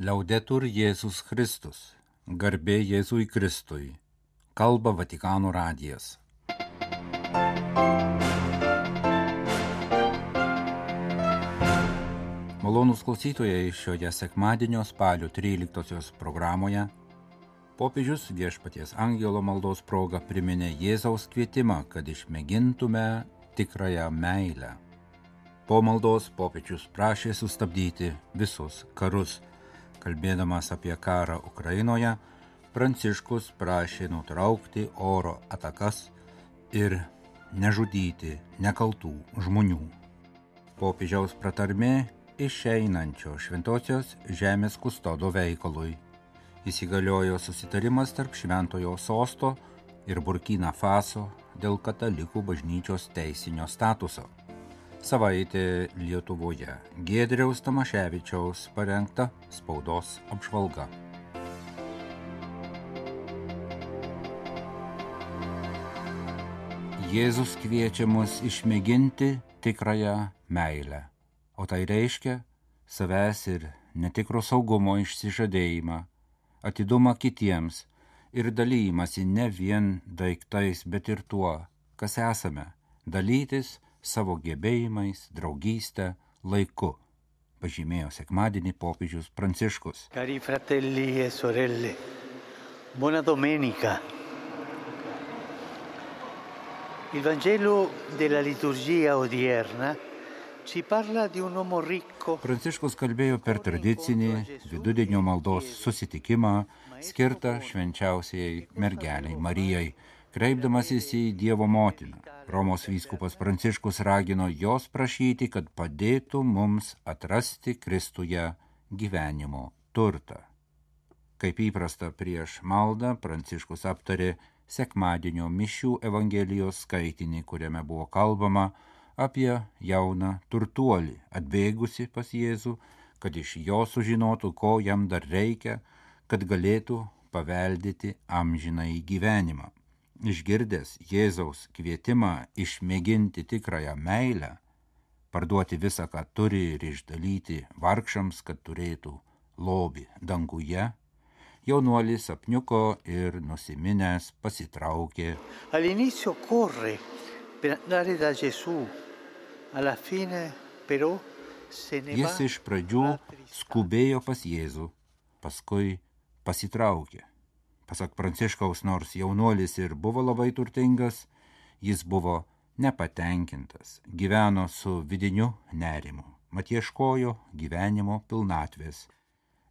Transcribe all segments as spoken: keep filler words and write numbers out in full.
Liaudetur Jėzus Kristus, garbė Jėzui Kristui, kalba Vatikano radijas. Malonūs klausytojai, šioje sekmadienio spalio tryliktosios programoje popiežius Viešpaties angelo maldos proga priminė Jėzaus kvietimą, kad išmėgintume tikrąją meilę. Po maldos popiežius prašė sustabdyti visus karus. Kalbėdamas apie karą Ukrainoje, Pranciškus prašė nutraukti oro atakas ir nežudyti nekaltų žmonių. Popiežiaus pratarmė išeinančio šventosios žemės kustodo veikalui. Įsigaliojo susitarimas tarp Šventojo Sosto ir Burkina Faso dėl katalikų bažnyčios teisinio statuso. Savaitė Lietuvoje. Giedriaus Tamaševičiaus parengta spaudos apžvalga. Jėzus kviečia mus išmėginti tikrąją meilę, o tai reiškia savęs ir netikro saugumo išsižadėjimą, atidumą kitiems ir dalymasi ne vien daiktais, bet ir tuo, kas esame, dalytis savo gebėjimais, draugystę, laiku, pažymėjo sekmadienį popiežius Pranciškus. Cari fratelli e sorelle, buona domenica. Il Vangelo della liturgia odierna ci parla di un uomo ricco. Pranciškus kalbėjo per tradicinį vidudienio maldos susitikimą skirtą švenčiausiai mergeliai Marijai, kreipdamasis į Dievo motiną. Romos vyskupas Pranciškus ragino jos prašyti, kad padėtų mums atrasti Kristuje gyvenimo turtą. Kaip įprasta prieš maldą, Pranciškus aptarė sekmadienio mišių Evangelijos skaitinį, kuriame buvo kalbama apie jauną turtuolį, atbėgusi pas Jėzų, kad iš jo sužinotų, ko jam dar reikia, kad galėtų paveldėti amžinąjį gyvenimą. Išgirdęs Jėzaus kvietimą išmėginti tikrąją meilę, parduoti visą, ką turi ir išdalyti vargšams, kad turėtų lobį danguje, jaunuolis apniuko ir nusiminęs pasitraukė. All'inizio corre per andare da Gesù, alla fine però se ne va. Jis iš pradžių skubėjo pas Jėzų, paskui pasitraukė. Pasak Pranciškaus, nors jaunuolis ir buvo labai turtingas, jis buvo nepatenkintas, gyveno su vidiniu nerimu, mat ieškojo gyvenimo pilnatvės.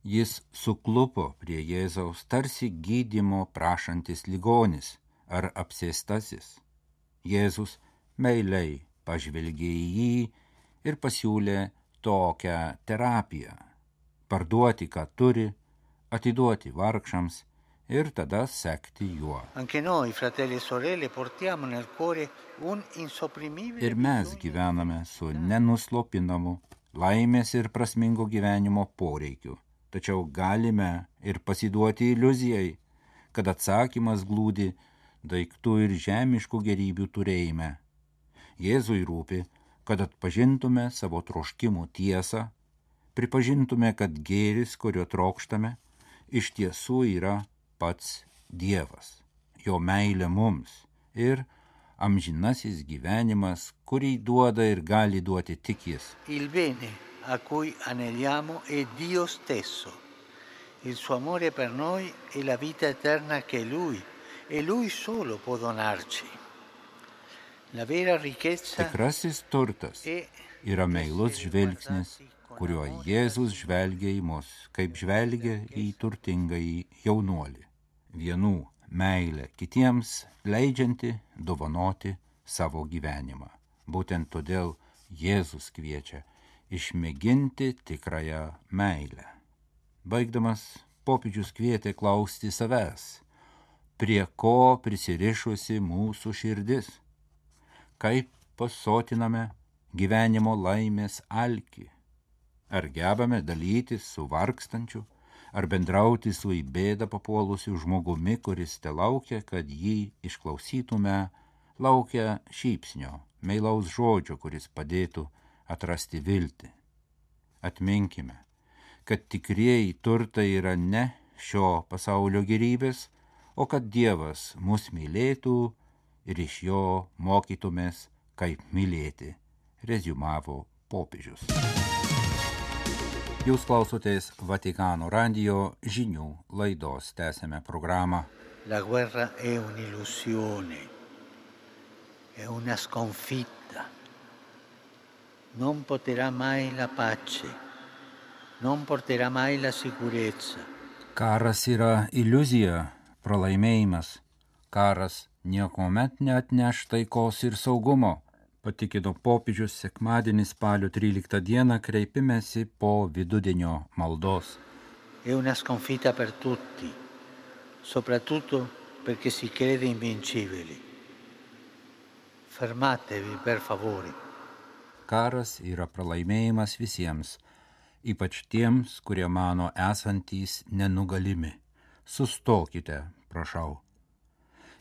Jis suklupo prie Jėzaus tarsi gydymo prašantis ligonis ar apsėstasis. Jėzus meiliai pažvelgė į jį ir pasiūlė tokią terapiją – parduoti, ką turi, atiduoti vargšams ir tada sekti juo. Ir mes gyvename su nenuslopinamu laimės ir prasmingo gyvenimo poreikiu, tačiau galime ir pasiduoti iliuzijai, kad atsakymas glūdi daiktų ir žemiškų gerybių turėjime. Jėzui rūpi, kad atpažintume savo troškimų tiesą, pripažintume, kad gėris, kurio trokštame, iš tiesų yra pats Dievas, jo meilė mums ir amžinasis gyvenimas, kurį duoda ir gali duoti tik jis. Il bene a cui aneliamo è Dio stesso. Il suo amore per noi è la vita eterna che Lui e Lui solo può donarci. La vera ricchezza. Tikrasis turtas yra meilus žvilgsnis, kuriuo Jėzus žvelgia į mus, kaip žvelgia į turtingąjį jaunuolį. Vienų meilę kitiems leidžianti dovanoti savo gyvenimą. Būtent todėl Jėzus kviečia išmėginti tikrąją meilę. Baigdamas, popiežius kvietė klausti savęs, prie ko prisirišusi mūsų širdis, kaip pasotiname gyvenimo laimės alkį, ar gebame dalytis su vargstančiu, ar bendrauti su į bėdą papuolusiu žmogumi, kuris te laukia, kad jį išklausytume, laukia šypsnio, meilaus žodžio, kuris padėtų atrasti viltį. Atminkime, kad tikrieji turtai yra ne šio pasaulio gėrybės, o kad Dievas mus mylėtų ir iš jo mokytumės, kaip mylėti, reziumavo popiežius. Jūs klausotės Vatikano radijo žinių laidos, tęsiame programą. La guerra è un'illusione, è una sconfitta. Non porterà mai la pace, non porterà mai la sicurezza. Karas yra iliuzija, pralaimėjimas. Karas niekuomet neatneš taikos ir saugumo, patikino popiežius sekmadienį spalio tryliktą dieną kreipimęsi po vidudienio maldos. È una sconfitta per tutti, soprattutto perché si crede invincibili. Fermatevi, per favore. Karas yra pralaimėjimas visiems, ypač tiems, kurie mano esantys nenugalimi. Sustokite, prašau.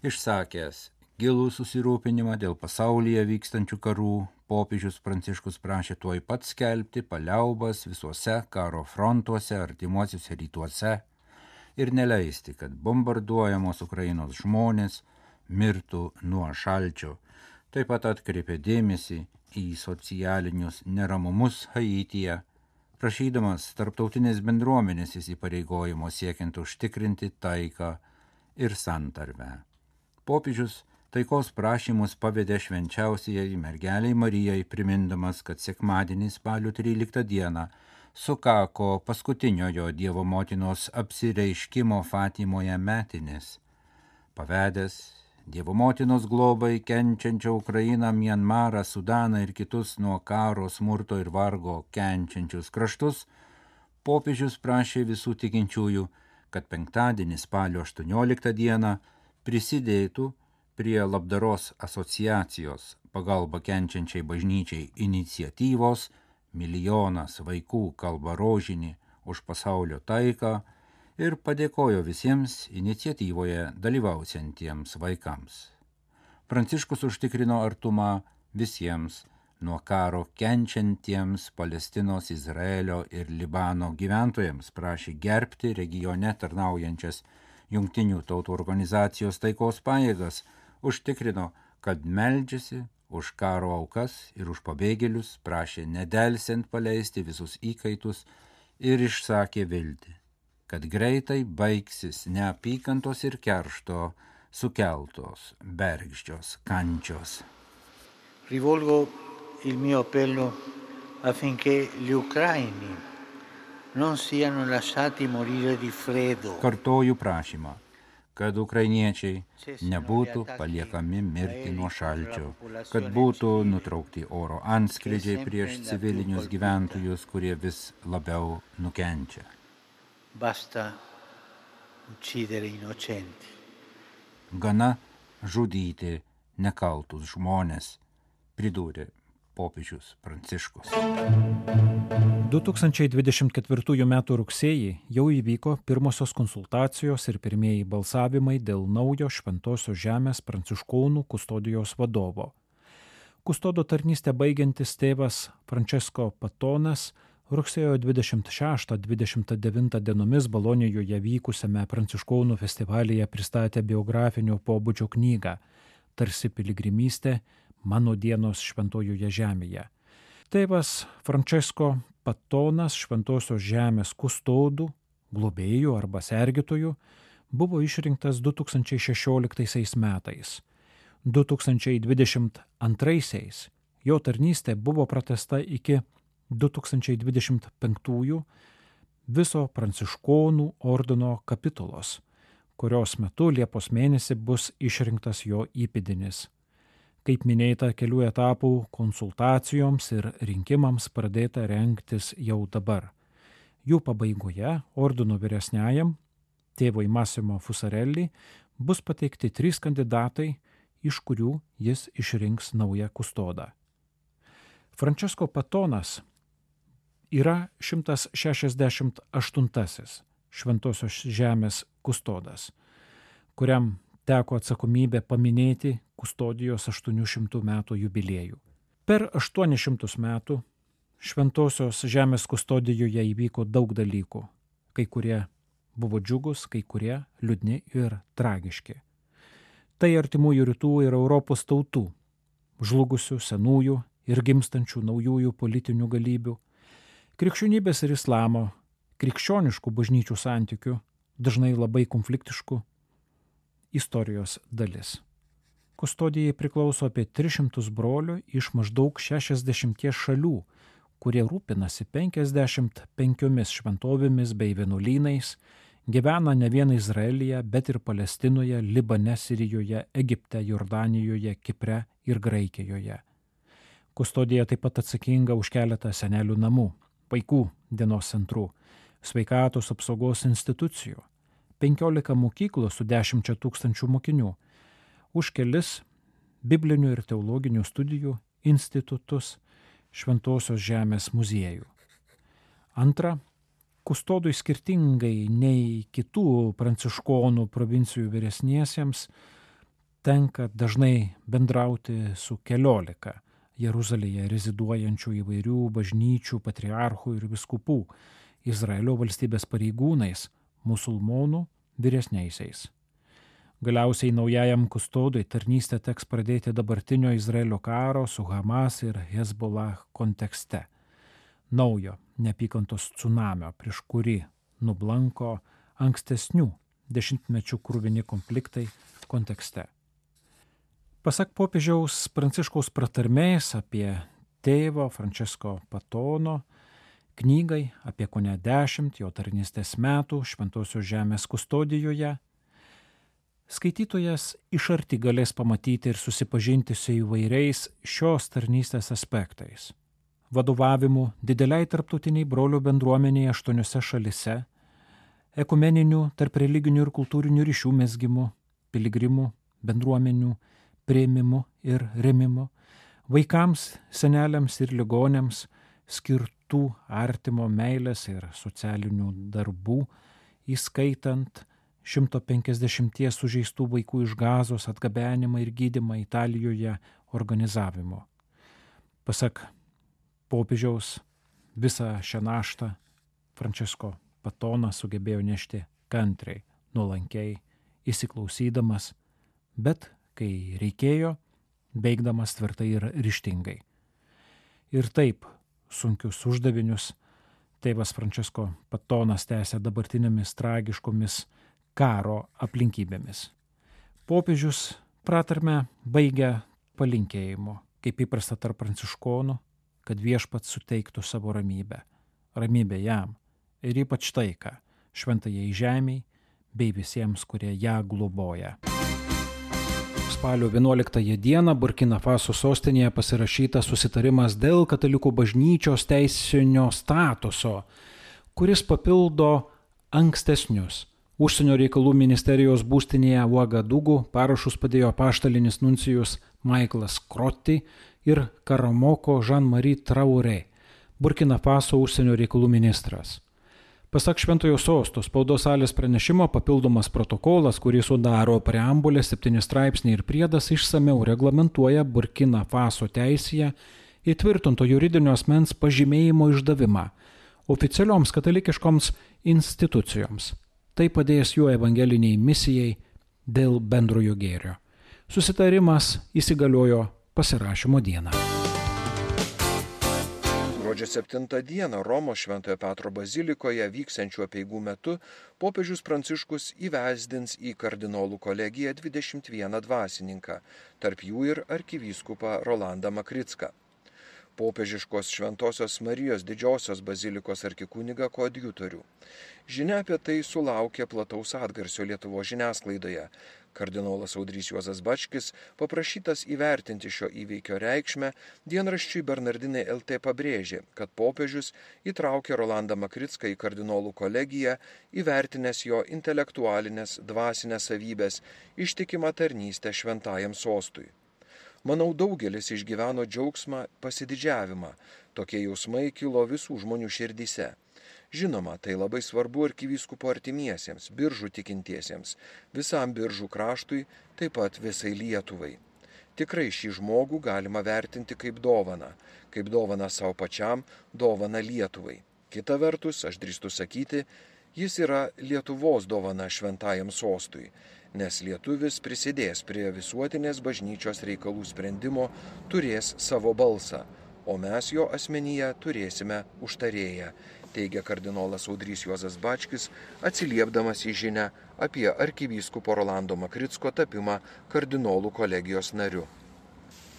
Išsakęs gilų susirūpinimą dėl pasaulyje vykstančių karų, popiežius Pranciškus prašė tuoj pat skelbti paliaubas visuose karo frontuose artimuosiuose rytuose ir neleisti, kad bombarduojamos Ukrainos žmonės mirtų nuo šalčio. Taip pat atkreipė dėmesį į socialinius neramumus Haityje, prašydamas tarptautinės bendruomenės įsipareigojimo siekiant užtikrinti taiką ir santarvę. Popiežius taikos prašymus pavedė švenčiausiai mergeliai Marijai, primindamas, kad sekmadienį spalio tryliktą dieną sukako paskutiniojo Dievo motinos apsireiškimo Fatimoje metinės. Pavedęs Dievo motinos globai kenčiančią Ukrainą, Mianmarą, Sudaną ir kitus nuo karo, smurto ir vargo kenčiančius kraštus, popiežius prašė visų tikinčiųjų, kad penktadienį spalio aštuonioliktą dieną prisidėtų prie labdaros asociacijos pagalba kenčiančiai bažnyčiai iniciatyvos Milijonas vaikų kalba rožinį už pasaulio taiką ir padėkojo visiems iniciatyvoje dalyvausiantiems vaikams. Pranciškus užtikrino artumą visiems nuo karo kenčiantiems Palestinos, Izraelio ir Libano gyventojams, prašė gerbti regione tarnaujančias Jungtinių tautų organizacijos taikos pajėgas, užtikrino, kad meldžiasi už karo aukas ir už pabėgėlius, prašė nedelsiant paleisti visus įkaitus ir išsakė viltį, kad greitai baigsis neapykantos ir keršto sukeltos bergždžios kančios. Rivolgo il mio appello affinché gli ucraini non siano lasciati morire di freddo. Kartoju prašymą, kad ukrainiečiai nebūtų paliekami mirti nuo šalčio, kad būtų nutraukti oro antskrydžiai prieš civilinius gyventojus, kurie vis labiau nukenčia. Basta uccidere innocenti. Gana žudyti nekaltus žmonės, pridūrė popiežius Pranciškus. du tūkstančiai dvidešimt ketvirtųjų metų rugsėjį jau įvyko pirmosios konsultacijos ir pirmieji balsavimai dėl naujo Šventosios žemės pranciškonų kustodijos vadovo. Kustodo tarnystę baigiantis tėvas Francesco Patonas rugsėjo dvidešimt šeštą dvidešimt devintą dienomis Bolonijoje vykusiame pranciškonų festivalyje pristatė biografinio pobūdžio knygą Tarsi piligrimystė, mano dienos Šventojoje žemėje. Tėvas Francesco Patonas Šventosios žemės kustodų, globėjų arba sergėtojų buvo išrinktas du tūkstančiai šešioliktaisiais metais. du tūkstančiai dvidešimt antraisiais jo tarnystė buvo pratęsta iki du tūkstančiai dvidešimt penktųjų viso pranciškonų ordino kapitulos, kurios metu Liepos mėnesį bus išrinktas jo įpėdinis. Kaip minėta, kelių etapų konsultacijoms ir rinkimams pradėta rengtis jau dabar. Jų pabaigoje ordino vyresniajam, tėvui Massimo Fusarelli, bus pateikti trys kandidatai, iš kurių jis išrinks naują kustodą. Francesco Patonas yra šimtas šešiasdešimt aštuntasis Šventosios žemės kustodas, kuriam teko atsakomybė paminėti kustodijos aštuonių šimtų metų jubiliejų. Per aštuonis šimtus metų Šventosios žemės kustodijoje įvyko daug dalykų. Kai kurie buvo džiugus, kai kurie liūdni ir tragiški. Tai artimųjų rytų ir Europos tautų, žlugusių senųjų ir gimstančių naujųjų politinių galybių, krikščionybės ir islamo, krikščioniškų bažnyčių santykių, dažnai labai konfliktiškų istorijos dalis. Kustodijai priklauso apie tris šimtus brolių iš maždaug šešiasdešimties šalių, kurie rūpinasi penkiasdešimt penkiomis šventovėmis bei vienuolynais, gyvena ne vien Izraelyje, bet ir Palestinoje, Libane, Sirijoje, Egipte, Jordanijoje, Kipre ir Graikijoje. Kustodija taip pat atsakinga už keletą senelių namų, vaikų dienos centrų, sveikatos apsaugos institucijų, penkiolika mokyklų su dešimčia tūkstančių mokinių, už kelis biblinių ir teologinių studijų institutus, Šventosios žemės muziejų. Antra, kustodui skirtingai nei kitų pranciškonų provincijų vyresniesiems tenka dažnai bendrauti su keliolika Jeruzalėje reziduojančių įvairių bažnyčių, patriarchų ir vyskupų, Izraelio valstybės pareigūnais, musulmonų vyresniaisiais. Galiausiai naujajam kustodui tarnystę teks pradėti dabartinio Izraelio karo su Hamas ir Hezbollah kontekste. Naujo neapykantos tsunamio, prieš kurį nublanko ankstesnių dešimtmečių kruvini konfliktai kontekste. Pasak popiežiaus Pranciškaus pratarmės apie tėvo Francesco Patono knygai apie kone dešimt jo tarnystės metų Šventosios žemės kustodijoje, skaitytojas iš arti galės pamatyti ir susipažinti su įvairiais šios tarnystės aspektais. Vadovavimu dideliai tarptautiniai brolių bendruomeniai aštuoniose šalise, ekumeninių, tarp religinių ir kultūrinių ryšių mezgimu, piligrimų, bendruomenių, priėmimu ir remimu, vaikams, seneliams ir ligoniams skirtų artimo meilės ir socialinių darbų, įskaitant šimto penkiasdešimties sužeistų vaikų iš Gazos atgabenimą ir gydymą Italijoje organizavimo. Pasak popiežiaus, visą šią naštą Francesco Patonas sugebėjo nešti kantriai, nuolankiai, įsiklausydamas, bet kai reikėjo, veikdamas tvirtai ir ryžtingai. Ir taip sunkius uždavinius tėvas Francesco Patonas tęsė dabartinėmis tragiškomis karo aplinkybėmis. Popiežius pratarmę baigia palinkėjimu, kaip įprasta tarp pranciškonų, kad viešpats suteiktų savo ramybę. Ramybę jam ir ypač taiką šventajai žemei bei visiems, kurie ją globoja. Spalio vienuoliktąją dieną Burkina Faso sostinėje pasirašytas susitarimas dėl katalikų bažnyčios teisinio statuso, kuris papildo ankstesnius. Užsienio reikalų ministerijos būstinėje Ouagadougou parašus padėjo apaštalinis nuncijus Michaelas Crotty ir Karamoko Jean-Marie Traoré, Burkina Faso užsienio reikalų ministras. Pasak Šventojo sosto spaudos salės pranešimo, papildomas protokolas, kurį sudaro preambulė, septyni straipsniai ir priedas, išsameu reglamentuoja Burkina Faso teisėje įtvirtinto juridinio asmens pažymėjimo išdavimą oficialioms katalikiškoms institucijoms. Tai padės jų evangeliniai misijai dėl bendrojo gėrio. Susitarimas įsigaliojo pasirašymo dieną. Gruodžio septintą dieną Romos Šventojo Petro bazilikoje vyksiančių apeigų metu popiežius Pranciškus įvesdins į kardinolų kolegiją dvidešimt vieną dvasininką, tarp jų ir arkivyskupą Rolandą Makricką. Popiežiškos Šventosios Marijos didžiosios bazilikos arkikunigą koadjutorių. Žinia apie tai sulaukė plataus atgarsio Lietuvos žiniasklaidoje. Kardinolas Audrys Juozas Bačkis, paprašytas įvertinti šio įvykio reikšmę, dienraščiui Bernardinai L T pabrėžė, kad popiežius įtraukė Rolandą Makricką į kardinolų kolegiją, įvertinęs jo intelektualinės, dvasinės savybės, ištikimą tarnystę šventajam sostui. Manau, daugelis išgyveno džiaugsmą, pasididžiavimą. Tokie jausmai kilo visų žmonių širdyse. Žinoma, tai labai svarbu arkivyskupo artimiesiems, Biržų tikintiesiems, visam Biržų kraštui, taip pat visai Lietuvai. Tikrai šį žmogų galima vertinti kaip dovaną, kaip dovaną savo pačiam, dovaną Lietuvai. Kita vertus, aš drįstu sakyti, jis yra Lietuvos dovana šventajam sostui, nes lietuvis prisidės prie visuotinės bažnyčios reikalų sprendimo, turės savo balsą, o mes jo asmenyje turėsime užtarėją, teigia kardinolas Audrys Juozas Bačkis, atsiliepdamas į žinią apie arkivyskupo Rolando Makricko tapimą kardinolų kolegijos nariu.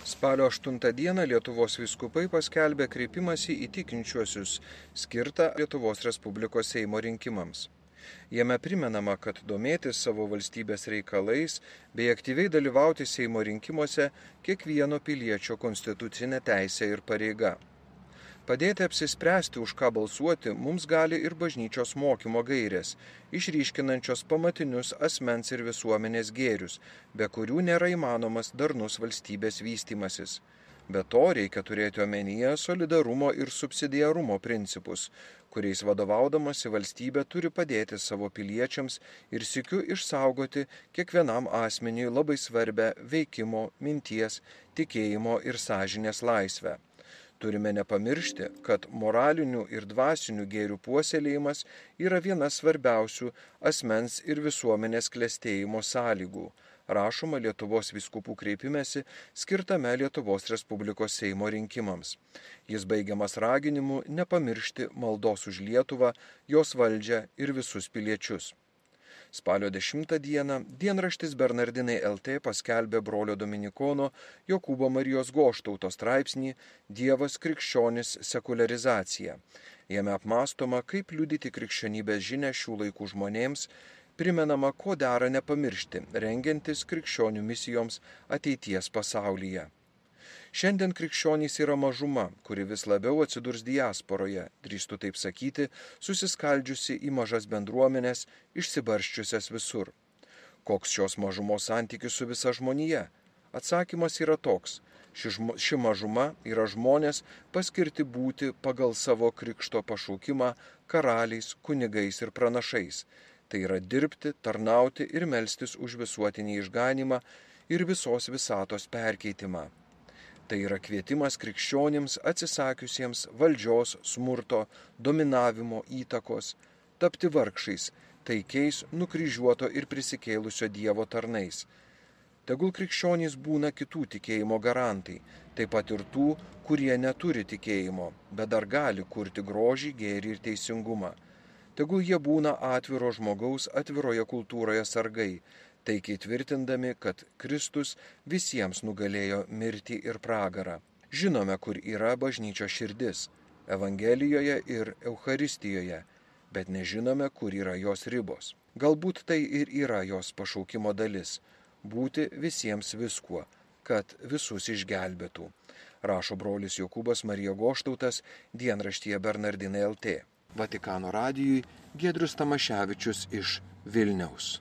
Spalio aštuntą dieną Lietuvos vyskupai paskelbė kreipimąsi į tikinčiuosius skirtą Lietuvos Respublikos Seimo rinkimams. Jame primenama, kad domėtis savo valstybės reikalais bei aktyviai dalyvauti Seimo rinkimuose kiekvieno piliečio konstitucinė teisė ir pareiga. Padėti apsispręsti, už ką balsuoti, mums gali ir bažnyčios mokymo gairės, išryškinančios pamatinius asmens ir visuomenės gėrius, be kurių nėra įmanomas darnus valstybės vystymasis. Be to reikia turėti omenyje solidarumo ir subsidiarumo principus, kuriais vadovaudamasi valstybė turi padėti savo piliečiams ir sykiu išsaugoti kiekvienam asmeniui labai svarbę veikimo, minties, tikėjimo ir sąžinės laisvę. Turime nepamiršti, kad moralinių ir dvasinių gėrių puoselėjimas yra viena svarbiausių asmens ir visuomenės klestėjimo sąlygų, rašoma Lietuvos vyskupų kreipimesi skirtame Lietuvos Respublikos Seimo rinkimams. Jis baigiamas raginimu nepamiršti maldos už Lietuvą, jos valdžią ir visus piliečius. Spalio dešimtą dieną dienraštis Bernardinai L T paskelbė brolio dominikono Jokūbo Marijos Goštauto straipsnį Dievas krikščionis sekuliarizacija. Jame apmąstoma, kaip liudyti krikščionybės žinią šių laikų žmonėms, primenama, ko dera nepamiršti, rengiantis krikščionių misijoms ateities pasaulyje. Šiandien krikščionys yra mažuma, kuri vis labiau atsidurs diasporoje, drįstu taip sakyti, susiskaldžiusi į mažas bendruomenės, išsibarsčiusias visur. Koks šios mažumos santykis su visa žmonija? Atsakymas yra toks. Ši, žmo, ši mažuma yra žmonės paskirti būti pagal savo krikšto pašaukimą karaliais, kunigais ir pranašais. Tai yra dirbti, tarnauti ir melstis už visuotinį išganymą ir visos visatos perkeitimą. Tai yra kvietimas krikščionims atsisakiusiems valdžios, smurto, dominavimo, įtakos, tapti vargšais, taikiais, nukryžiuoto ir prisikėlusio Dievo tarnais. Tegul krikščionys būna kitų tikėjimo garantai, taip pat ir tų, kurie neturi tikėjimo, bet dar gali kurti grožį, gėrį ir teisingumą. Tegul jie būna atviro žmogaus atviroje kultūroje sargai, taikiai tvirtindami, kad Kristus visiems nugalėjo mirtį ir pragarą. Žinome, kur yra bažnyčios širdis – Evangelijoje ir Eucharistijoje, bet nežinome, kur yra jos ribos. Galbūt tai ir yra jos pašaukimo dalis – būti visiems viskuo, kad visus išgelbėtų, rašo brolis Jokūbas Marija Goštautas dienraštyje Bernardinai L T. Vatikano radijui Giedrius Tamaševičius iš Vilniaus.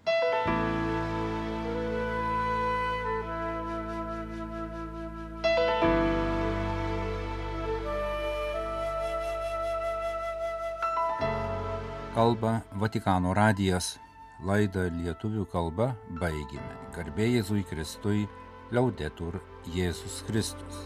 Kalba Vatikano radijas. Laidą lietuvių kalba baigėme. Garbė Jėzui Kristui, Liaudetur Jėzus Kristus.